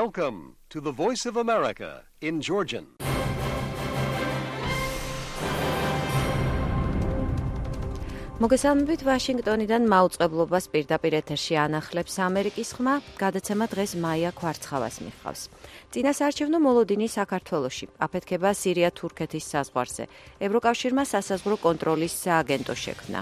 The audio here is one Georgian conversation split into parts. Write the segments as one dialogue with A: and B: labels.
A: Welcome to the Voice of America in Georgian.
B: მოგესალმებით ვაშინგტონიდან მაუწყებლობას პირდაპირ ეთერში ანახლებს ამერიკის ხმა, გადაცემა დღეს მაია ქვარცხავას მიჰყავს. წინასაარჩევნო მოლოდინი საქართველოში, აფეთქება სირია-თურქეთის საზღვარზე, ევროკავშირმა სასაზღვრო კონტროლის სააგენტო შექმნა.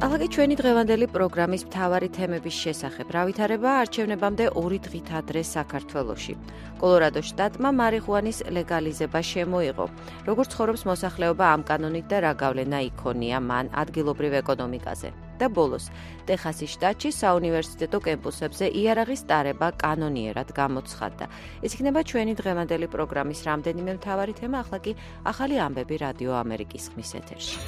B: ახლა ჩვენი დღევანდელი პროგრამის მთავარი თემების შესახებ. რა ვითარება არჩევნებამდე 2 დღით ადრე საქართველოში. კოლორადოს შტატმა მარიხუანის ლეგალიზება შემოიღო. როგორც ცხოვრობს მოსახლეობა ამ კანონით და რა გავლენა იქონია მან ადგილობრივ ეკონომიკაზე. და ბოლოს, ტეხასის შტატში საუნივერსიტეტო კემპუსებზე იარაღის ტარება კანონიერად გამოცხადდა. ეს იქნება ჩვენი დღევანდელი პროგრამის რამდენიმე მთავარი თემა, ახლა კი ახალი ამბები რადიო ამერიკის ხმის ეთერში.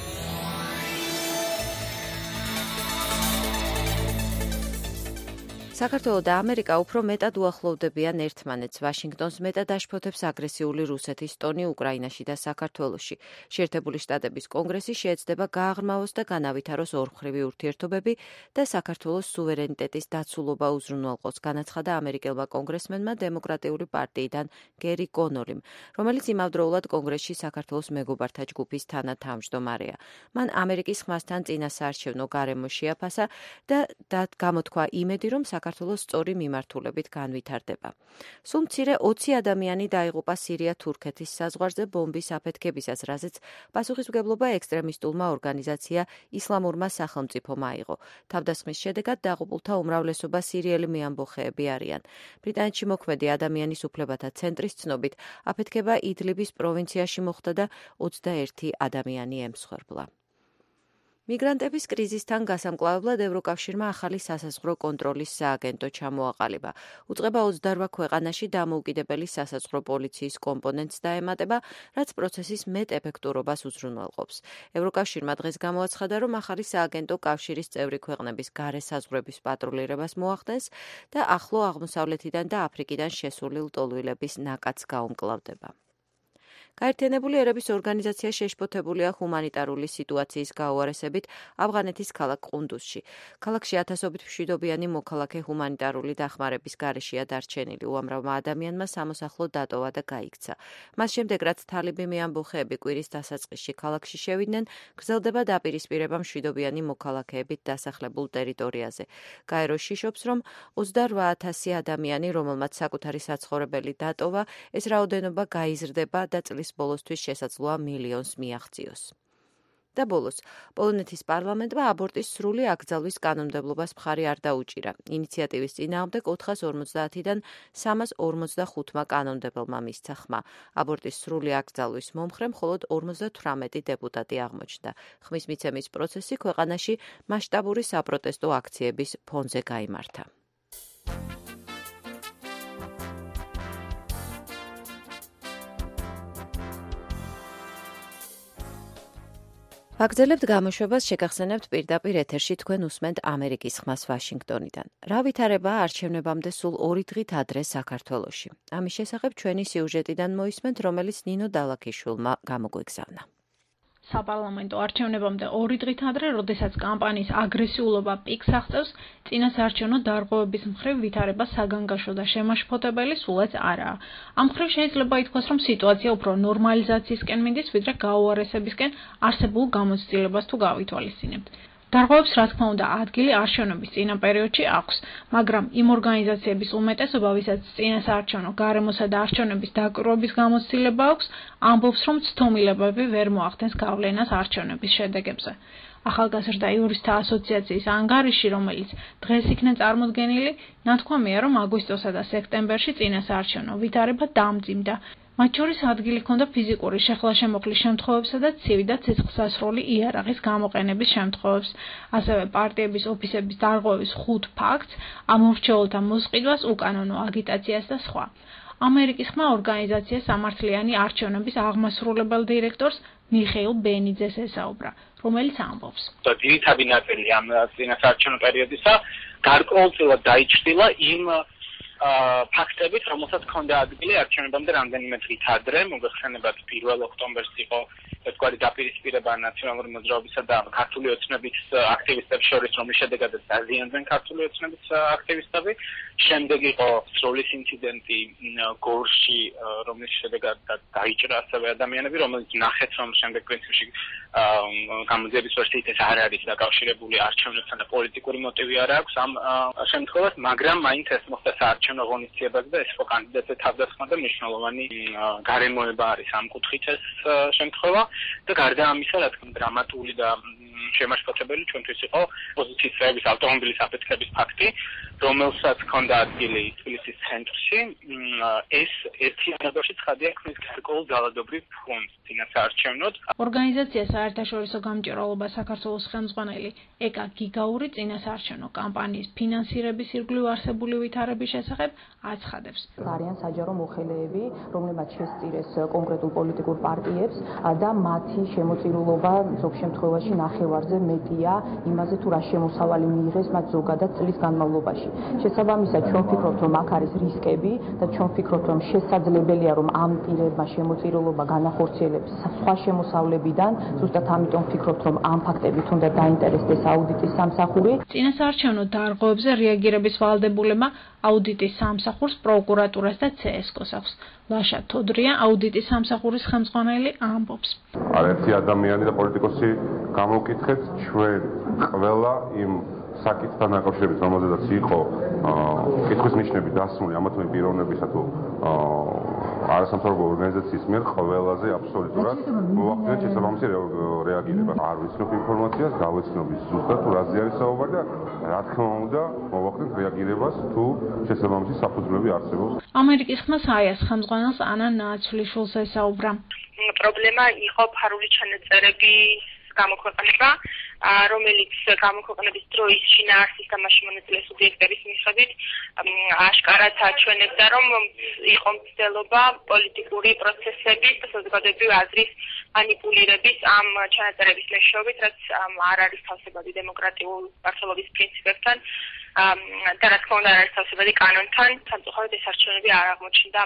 B: საქართველო და ამერიკა უფრო მეტად უახლოვდებიან ერთმანეთს. ვაშინგტონს მეტად აშფოთებს აგრესიული რუსეთის ტონი უკრაინაში და საქართველოში. შეერთებული შტატების კონგრესი შეეცდება გააღრმავოს და განავითაროს ორმხრივი ურთიერთობები და საქართველოს სუვერენიტეტის დაცულობა უზრუნველყოს, განაცხადა ამერიკელმა კონგრესმენმა დემოკრატიული პარტიიდან გერი კონოლიმ, რომელიც იმავდროულად კონგრესში საქართველოს მეგობართა ჯგუფის თანათავმჯდომარეა. მან ამერიკის ხმასთან წინასაარჩევნო გარემო შეაფასა და გამოთქვა იმედი, რომ საქართველოს სწორი მიმართულებით განვითარდება. სულ მცირე 20 ადამიანი დაიღუპა სირია-თურქეთის საზღვარზე ბომბის აფეთქებისას, რაზეც პასუხისმგებლობა ექსტრემისტულმა ორგანიზაცია ისლამურმა სახელმწიფომ აიღო. თავდასხმის შედეგად დაღუპულთა უმრავლესობა სირიელი მეამბოხეები არიან. ბრიტანეთში მოქმედი ადამიანის უფლებათა ცენტრის ცნობით, აფეთქება იდლიბის პროვინციაში მოხდა და 21 ადამიანი ემსხვერპლა. მიგრანტების კრიზისთან გასამკლავებლად ევროკავშირმა ახალი სასაზღვრო კონტროლის სააგენტო ჩამოაყალიბა. უწყება 28 ქვეყანაში დამოუკიდებელი სასაზღვრო პოლიციის კომპონენტს დაემატება, რაც პროცესის მეტ ეფექტურობას უზრუნველყოფს. ევროკავშირმა დღეს გამოაცხადა, რომ ახალი სააგენტო კავშირის წევრი ქვეყნების გარე საზღვრების პატრულირებას მოახდენს და ახლო აღმოსავლეთიდან და აფრიკიდან შესული ლტოლვილების ნაკადს გაუმკლავდება. გაერთიანებული ერების ორგანიზაცია შეშფოთებულია ჰუმანიტარული სიტუაციის გაუარესებით ავღანეთის ქალაქ ყუნდუსში. ქალაქში ათასობით მშვიდობიანი მოქალაქე ჰუმანიტარული დახმარების გარეშეა დარჩენილი. უამრავმა ადამიანმა სამოსახლო დატოვა და გაიქცა. მას შემდეგ, რაც თალიბი მეამბოხეები კვირის დასაწყისში ქალაქში შევიდნენ, გრძელდება დაპირისპირება მშვიდობიანი მოქალაქეებით დასახლებულ ტერიტორიაზე. გაერო შიშობს, რომ 28,000 ადამიანი, რომელმაც საკუთარი საცხოვრებელი დატოვა, ეს რაოდენობა გაიზრდება და წლის ბოლოსთვის შესაძლოა მილიონს მიაღწიოს. და ბოლოს, პოლონეთის პარლამენტმა აბორტის სრული აკრძალვის კანონმდებლობას მხარი არ დაუჭირა. ინიციატივის წინააღმდეგ 450-დან 345-მა კანონმდებელმა მისცა ხმა. აბორტის სრული აკრძალვის მომხრე მხოლოდ 58 დეპუტატი აღმოჩნდა. ხმის მიცემის პროცესი ქვეყანაში მასშტაბური საპროტესტო აქციების ფონზე გაიმართა. ვაგრძელებთ გამოშვებას, შეგახსენებთ პირდაპირ ეთერში თქვენ უსმენთ ამერიკის ხმას ვაშინგტონიდან. რა ვითარება არჩევნებამდე სულ 2 დღით ადრე საქართველოში. ამის შესახებ ჩვენი სიუჟეტიდან მოისმენთ, რომელიც ნინო დალაქიშვილმა გამოგვეგზავნა.
C: საპარლამენტო არჩევნებამდე 2 დღით ადრე, როდესაც კამპანიის აგრესიულობა პიკს აღწევს, წინასაარჩევნო დარღვევების მხრივ ვითარება საგანგაშო და შემაშფოთებელი სულაც არაა. ამ მხრივ შეიძლება ითქვას, რომ სიტუაცია უფრო ნორმალიზაციისკენ მიდის, ვიდრე გაუარესებისკენ არსებულ გამოცდილებას თუ გავითვალისწინებთ. დარღვევებს, რა თქმა უნდა, ადგილი არჩევნების წინა პერიოდში აქვს, მაგრამ იმ ორგანიზაციების უმეტესობა, ვისაც წინასაარჩევნო გარემოსა და არჩევნების დაკვირვების გამოცდილება აქვს, ამბობს, რომ ცდომილებები ვერ მოახდენს გავლენას არჩევნების შედეგებზე. ახალგაზრდა იურისტთა ასოციაციის ანგარიში, რომელიც დღეს იქნა წარმოდგენილი, ნათქვამია, რომ აგვისტოსა და სექტემბერში წინასაარჩევნო ვითარება დამძიმდა. მათ შორის ადგილი ჰქონდა ფიზიკური შეხლა-შემოხლის შემთხვევებსა და ცივი და ცეცხლსასროლი იარაღის გამოყენების შემთხვევებს, ასევე პარტიების ოფისების დარღვევის 5 ფაქტს, ამორჩეულთა მოსყიდვას, უკანონო აგიტაციას და სხვა. ამერიკის ხმა ორგანიზაცია სამართლიანი არჩევნების აღმასრულებელ დირექტორს მიხეილ ბენიძეს ესაუბრა, რომელიც ამბობს.
D: ძირითადი ნაწილი ამ წინასაარჩევნო პერიოდისა გარკვეულწილად დაიჭრილა იმ ფაქტებით, რომელსაც ჰქონდა ადგილი არჩევნებამდე რამდენიმე დღით ადრე, მოგეხსენებათ 1 ოქტომბერს იყო ერთგვარი დაპირისპირება ნაციონალური მოძრაობისა და ქართული ოცნების აქტივისტების შორის, რომლის შედეგადაც დაზიანდნენ ქართული ოცნების აქტივისტები. შემდეგ იყო სროლის ინციდენტი გორში, რომლის შედეგად დაიჭრა ასევე ადამიანები, რომელიც ნახეთ, რომ შემდეგ პრინციპში გამოძიების ვერსიით ეს არ არის დაკავშირებული არჩევნებთან და პოლიტიკური მოტივი არ აქვს ამ შემთხვევას, მაგრამ მაინც ეს მოხდა საარჩევნო ღონისძიებაზე და ეს იყო კანდიდატზე თავდასხმა და მნიშვნელოვანი გარემოება არის ამ კუთხით ეს შემთხვევა და გარდა ამისა, რა თქმა უნდა, დრამატული და შემაშფოთებელი ჩვენთვის იყო პოზიციის წევრების ავტომობილის აფეთქების ფაქტი, რომელსაც ჰქონდა ადგილი თბილისის ცენტრში. ეს ერთიანობაში ცხადია ქმნის გარკვეულ ძალადობრივ ფონდს წინასაარჩევნოდ.
C: ორგანიზაცია საერთაშორისო გამჭირვალობა საქართველოს ხელმძღვანელი ეკა გიგაური წინასაარჩევნო კამპანიის ფინანსირების ირგვლივ არსებული ვითარების შესახებ აცხადებს.
E: არიან საჯარო მოხელეები, რომლებმაც შესწირეს კონკრეტულ პოლიტიკურ პარტიებს და მათი შემოწირულობა ზოგ შემთხვევაში ნახევარზე მეტია იმაზე, თუ რა შემოსავალი მიიღეს მათ ზოგადად წლის განმავლობაში. შესაბამისად, ჩვენ ვფიქრობთ, რომ აქ არის რისკები და ჩვენ ვფიქრობთ, რომ შესაძლებელია, რომ ამ პირებმა შემოწირულობა განახორციელებს სხვა შემოსავლებიდან. ზუსტად ამიტომ ვფიქრობთ, რომ ამ ფაქტებით უნდა დაინტერესდეს აუდიტის სამსახური.
C: წინასაარჩევნო დარღვევებზე რეაგირების ვალდებულება აუდიტის სამსახურს, პროკურატურას და CSKO-ს აქვს. ლაშა თოდრია აუდიტის სამსახურის ხელმძღვანელი ამბობს.
F: არერთი ადამიანი და პოლიტიკოსი გამოვკითხეთ ჩვენ ყველა იმ საკითხთან დაკავშირებით, რომელზედაც იყო კითხვის ნიშნები დასმული ამა თუ იმ პიროვნებისა თუ არასამთავრობო ორგანიზაციის მიერ ყველაზე აბსოლუტურად მოახდინეთ შესაბამისი რეაგირება. არ ვიცნობ ინფორმაციას, გავეცნობ ზუსტად თუ რაზე არის საუბარი და რა თქმა უნდა მოახდინეთ რეაგირებას თუ შესაბამისი საფუძვლები არსებობს.
C: ამერიკის ხმა საიას ხელმძღვანელს ანა ნაცვლიშვილს ესაუბრა.
G: პრობლემა იყო ფარული ჩანაწერების გამოქვეყნება, რომელიც გამოქვეყნების დროის შინაარსის და მასში მონაწილე სუბიექტების მიხედვით აშკარად აჩვენებდა, რომ იყო მცდელობა პოლიტიკური პროცესების და საზოგადოებრივი აზრის მანიპულირების ამ ჩანაწერების მეშვეობით, რაც არ არის თავსებადი დემოკრატიულ მართლობის პრინციპებთან და რა თქმა უნდა არ არის თავსებადი კანონთან. სამწუხაროდ ეს არჩევნები არ აღმოჩნდა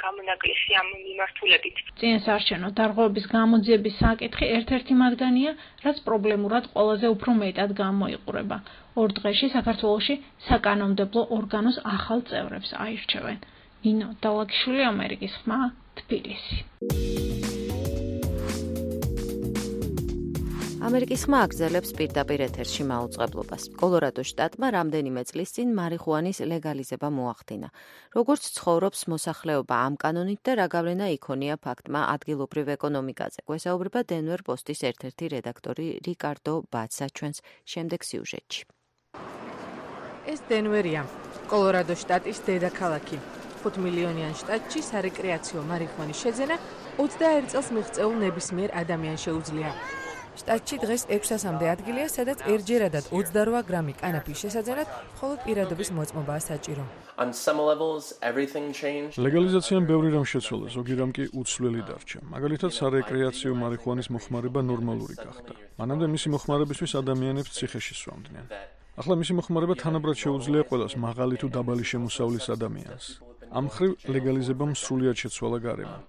G: გამონაკლისი ამ მიმართულებით.
C: წინასაარჩევნო დარღვევების გამოძიების საკითხი ერთ-ერთი მაგდანია, რაც პრობლემურად ყველაზე უფრო მეტად გამოიყურება. ორ დღეში საქართველოში საკანონმდებლო ორგანოს ახალ წევრებს აირჩევენ. ნინო დალაგიშვილი, ამერიკის ხმა, თბილისი.
B: ამერიკის ხმა აგრძელებს პირდაპირ ეთერში მაუწყებლობას. კოლორადოს შტატმა რამდენიმე წლის წინ მარიხუანის ლეგალიზება მოახდინა. როგორც ცხოვრობს მოსახლეობა ამ კანონით და რა გავლენა იქონია ფაქტმა ადგილობრივ ეკონომიკაზე, გვესაუბრება დენვერ პოსტის ერთ-ერთი რედაქტორი რიკარდო ბაცა ჩვენს შემდეგ სიუჟეტში.
H: ეს დენვერია, კოლორადოს შტატის დედაქალაქი. 5 მილიონიან შტატში სარეკრეაციო მარიხუანის შეძენა 21 წელს მიღწეულ ნებისმიერ ადამიანს შეუძლია. შტატში დღეს 600-მდე ადგილია, სადაც ერთჯერადად 28 გრამი კანაფის შესაძენად მხოლოდ პირადობის მოწმობაა საჭირო.
I: ლეგალიზაციამ ბევრი რამ შეცვალა, ზოგი რამ კი უცვლელი დარჩა. მაგალითად, სარეკრეაციო მარიხუანის მოხმარება ნორმალური გახდა. მანამდე მისი მოხმარებისთვის ადამიანებს ციხეში სვამდნენ. ახლა მისი მოხმარება თანაბრად შეუძლია ყველას, მაღალი თუ დაბალი შემოსავლის ადამიანს. ამ მხრივ ლეგალიზებამ სრულიად შეცვალა გარემო.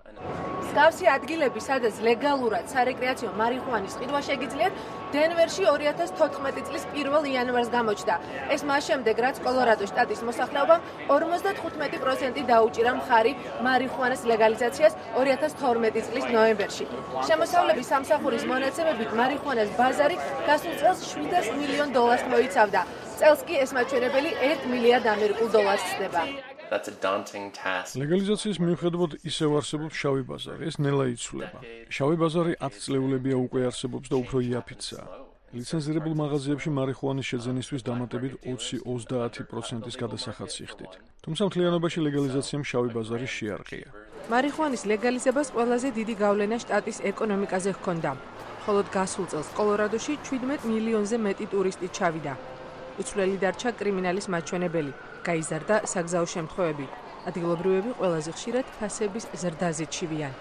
H: მსგავსი ადგილები, სადაც ლეგალურად სარეკრეაციო მარიხუანის ყიდვა შეგიძლიათ, დენვერში 2014 წლის 1 იანვარს გამოჩნდა. ეს მას შემდეგ, რაც კოლორადოს შტატის მოსახლეობამ 55% დაუჭირა მხარი მარიხუანას ლეგალიზაციას 2012 წლის ნოემბერში. შემოსავლების სამსახურის მონაცემებით მარიხუანას ბაზარი გასულ წელს $700 მილიონ მოიცავდა. წელს კი ეს მაჩვენებელი $1 მილიარდ ხდება.
I: ლეგალიზაციის მიუხედავად ისევ არსებობს შავი ბაზარი, ეს ნელა იცვლება. შავი ბაზარი 10 წლეულებია უკვე არსებობს და უფრო იაფიცაა. ლიცენზირებულ მაღაზიებში მარიხუანის შეძენისთვის დამატებით 20-30% გადასახადს იხდით. თუმცა მთლიანობაში ლეგალიზაციამ შავი ბაზარი შეარყია.
H: მარიხუანის ლეგალიზებას ყველაზე დიდი გავლენა შტატის ეკონომიკაზე ჰქონდა. მხოლოდ გასულ წელს კოლორადოში 17 მილიონზე მეტი ტურისტი ჩავიდა. უცვლელი დარჩა კრიმინალის მაჩვენებელი, გაიზარდა საგზაო შემთხვევები. ადგილობრივები ყველაზე ხშირად ფასების ზრდაზე ჩივიან.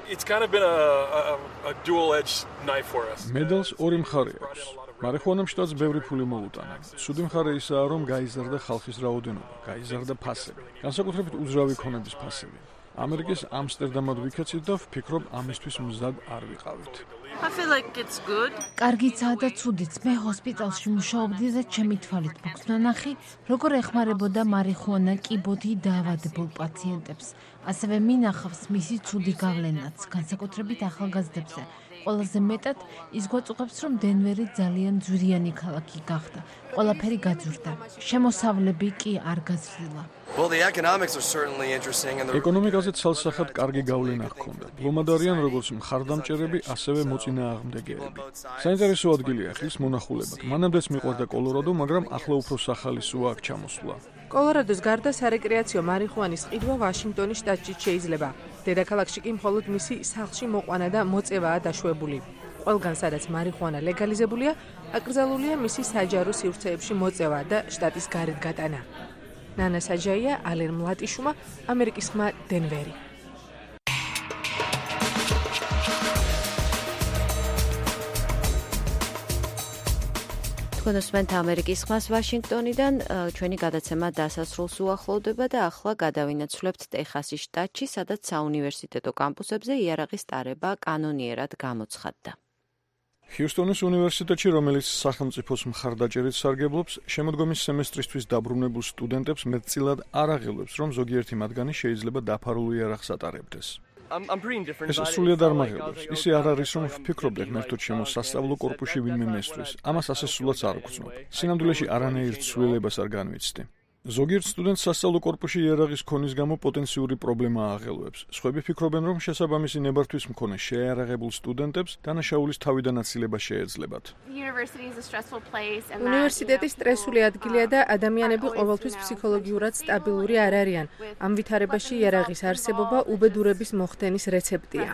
I: მედალს ორი მხარე აქვს. მარიხუანამ შტატს ბევრი ფული მოუტანა. ცუდი მხარე ისაა, რომ გაიზარდა ხალხის რაოდენობა, გაიზარდა ფასები, განსაკუთრებით უძრავი ქონების ფასები. ამერიკის ამსტერდამად ვიქეცით და ვფიქრობ, ამისთვის მზად არ ვიყავით.
J: I feel like it's good.
K: კარგიცაა და ცუდიც. მე ჰოსპიტალში მუშაობდი და ჩემი თვალით მოგცნა ნახი, როგორ ეხმარებოდა მარიხუანა კიბოთი დაავადებულ პაციენტებს. ასევე მინახავს მისი ცუდი გავლენაც, განსაკუთრებით ახალგაზრდებზე. ყველაზე მეტად ის გვაწუხებს, რომ დენვერი ძალიან ძვირიანი ქალაქი გახდა. ყველაფერი გაძვირდა. შემოსავლები კი არ გაზრდილა.
L: Well, the economics are certainly interesting and
I: ეკონომიკაზე ცალსახად კარგი გავლენა ჰქონდა. ლომადარიან როგორც მხარდამჭერები, ასევე მოწინააღმდეგეები. საინტერესო ადგილია ხის მონახულებად. მანამდეც მიყვარდა კოლორადო, მაგრამ ახლა უფრო სახალისოა აქ ჩამოსვლა.
H: კოლორადოს გარდა სარეკრეაციო მარიხუანის ყიდვა ვაშინგტონის შტატში შეიძლება. დედაქალაქში კი მხოლოდ მისი სახლში მოყვანა და მოწევაა დაშვებული. ყველგან სადაც მარიხუანა ლეგალიზებულია, აკრძალულია მისი საჯარო სივრცეებში მოწევა და შტატის გარეთ გატანა. ნანა საჯაია, ალენ მლატიშუმა, ამერიკის ხმა, დენვერი.
B: თქვენოსმენთ ამერიკის ხმას ვაშინგტონიდან ჩვენი გადაცემა დასასრულს უახლოვდება და ახლა გადავინაცვლებთ ტეხასის შტატში, სადაც საუნივერსიტეტო კამპუსებზე იარაღის ტარება კანონიერად გამოცხადდა.
I: ჰიუსტონის უნივერსიტეტში, რომელიც სახელმწიფოს მხარდაჭერით სარგებლობს, შემოდგომის სემესტრისთვის დაბრუნებულ სტუდენტებს მეტწილად არ აღელვებს, რომ ზოგიერთი მათგანი შეიძლება დაფარულ იარაღს ატარებდეს. ეს სრულიად არ მაღელვებს. ისე არ არის, რომ ვფიქრობდე ღმერთო ჩემო სასწავლო კორპუსში ვინმე მესვრის. ამას ასე სულაც არ ვგრძნობ. სინამდვილეში არანაირ ცვლილებას არ განვიცდი. ზოგიერთ სტუდენტს სასწავლო კორპუსში იარაღის ქონის გამო პოტენციური პრობლემა აღელვებს. სხვები ფიქრობენ, რომ შესაბამისი ნებართვის მქონე შეიარაღებულ სტუდენტებს დანაშაულის თავიდან აცილება შეეძლებათ.
H: უნივერსიტეტი სტრესული ადგილია და ადამიანები ყოველთვის ფსიქოლოგიურად სტაბილური არ არიან. ამ ვითარებაში იარაღის არსებობა უბედურების მოხდენის რეცეპტია.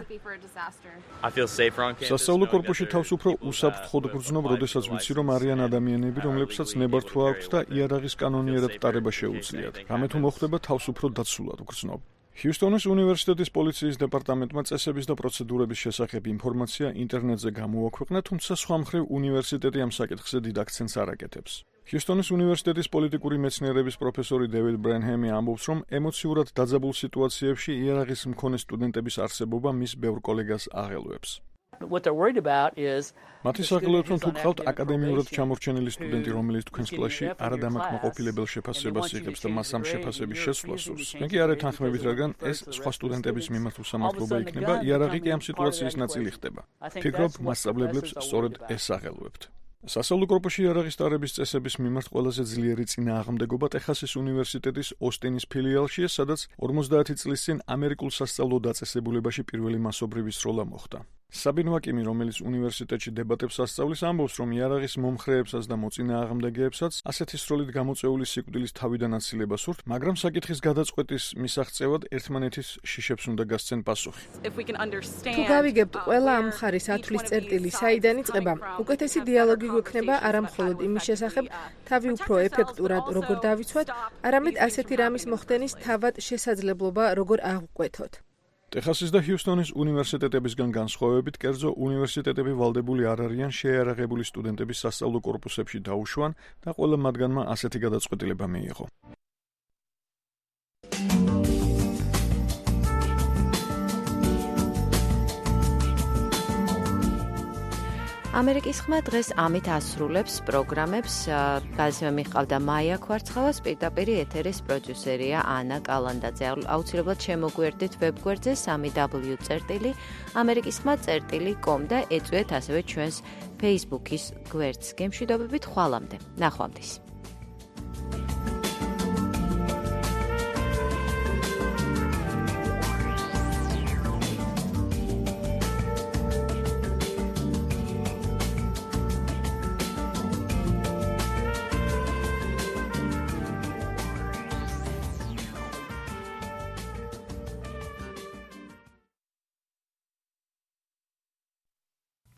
I: სასწავლო კორპუსში თავს უფრო უსაფრთხოდ გრძნობ, როდესაც ვიცი, რომ არიან ადამიანები, რომლებსაც ნებართვა აქვთ და იარაღის კანონიერად ტარება შეუძლიათ. რამე თუ მოხდება, თავს უფრო დაცულად გრძნობ. ჰიუსტონის უნივერსიტეტის პოლიციის დეპარტამენტმა წესების და პროცედურების შესახებ ინფორმაცია ინტერნეტზე გამოაქვეყნა, თუმცა სხვა მხრივ უნივერსიტეტი ამ საკითხზე დიდ აქცენტს არ აკეთებს. ჰიუსტონის უნივერსიტეტის პოლიტიკური მეცნიერების პროფესორი დევიდ ბრენჰემი ამბობს, რომ ემოციურად დაძაბულ სიტუაციებში იარაღის მქონე სტუდენტების არსებობა მის ბევრ კოლეგას აღელვებს. მათი საგლოებს, რომ თუ გყავთ აკადემიურად ჩამორჩენილი სტუდენტი, რომელიც თქვენს კლასში არადამაკმაყოფილებელ შეფასებას იღებს და მას ამ შეფასების შესვლას სურს, მე კი არ ეთანხმებით, რადგან ეს სხვა სტუდენტების მიმართ უსამართლობა იქნება, იარაღი კი ამ სიტუაციის ნაწილი ხდება. ფიქრობ, მასწავლებლებს სწორედ ეს აღელვებთ. სასწავლო კორპუსში იარაღის ტარების წესების მიმართ ყველაზე ძლიერი წინააღმდეგობა ტეხასის უნივერსიტეტის ოსტინის ფილიალშია, სადაც 50 წლის წინ ამერიკულ სასწავლო დაწესებულებაში პირველი მასობრივი სროლა მოხდა. საბინ ვაკიმი, რომელიც უნივერსიტეტში დებატებს ასწავლის, ამბობს, რომ იარაღის მომხრეებსაც და მოწინააღმდეგეებსაც ასეთი სროლით გამოწეული სიკვდილის თავიდან აცილება სურთ, მაგრამ საკითხის გადაწყვეტის მისაღწევად ერთმანეთის შიშებს უნდა გასცენ პასუხი.
H: თუ გავიგებთ ყველა ამ მხარის ათვლის წერტილი საიდან იწყება, უკეთესი დიალოგი გვექნება არა მხოლოდ იმის შესახებ, თავი უფრო ეფექტურად როგორ დავიცვათ, არამედ ასეთი რამის მოხდენის თავად შესაძლებლობა როგორ აღვკვეთოთ.
I: ტეხასის და ჰიუსტონის უნივერსიტეტებისგან განსხვავებით, კერძო უნივერსიტეტები ვალდებული არ არიან შეიარაღებული სტუდენტების სასწავლო კორპუსებში დაუშვან და ყველა მათგანმა ასეთი გადაწყვეტილება მიიღო.
B: ამერიკის ხმა დღეს ამით ასრულებს პროგრამებს. გადაცემა მიჰყავდა მაია ქვარცხავას, პირდაპირ ეთერის პროდიუსერია ანა კალანდაძე. აუცილებლად შემოგვერდით ვებგვერდზე 3w.amerikiskhma.com და ეწვიეთ ასევე ჩვენს Facebook-ის გვერდს. გემშვიდობებით ხვალამდე. ნახვამდის.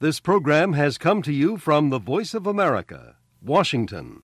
A: This program has come to you from the Voice of America, Washington.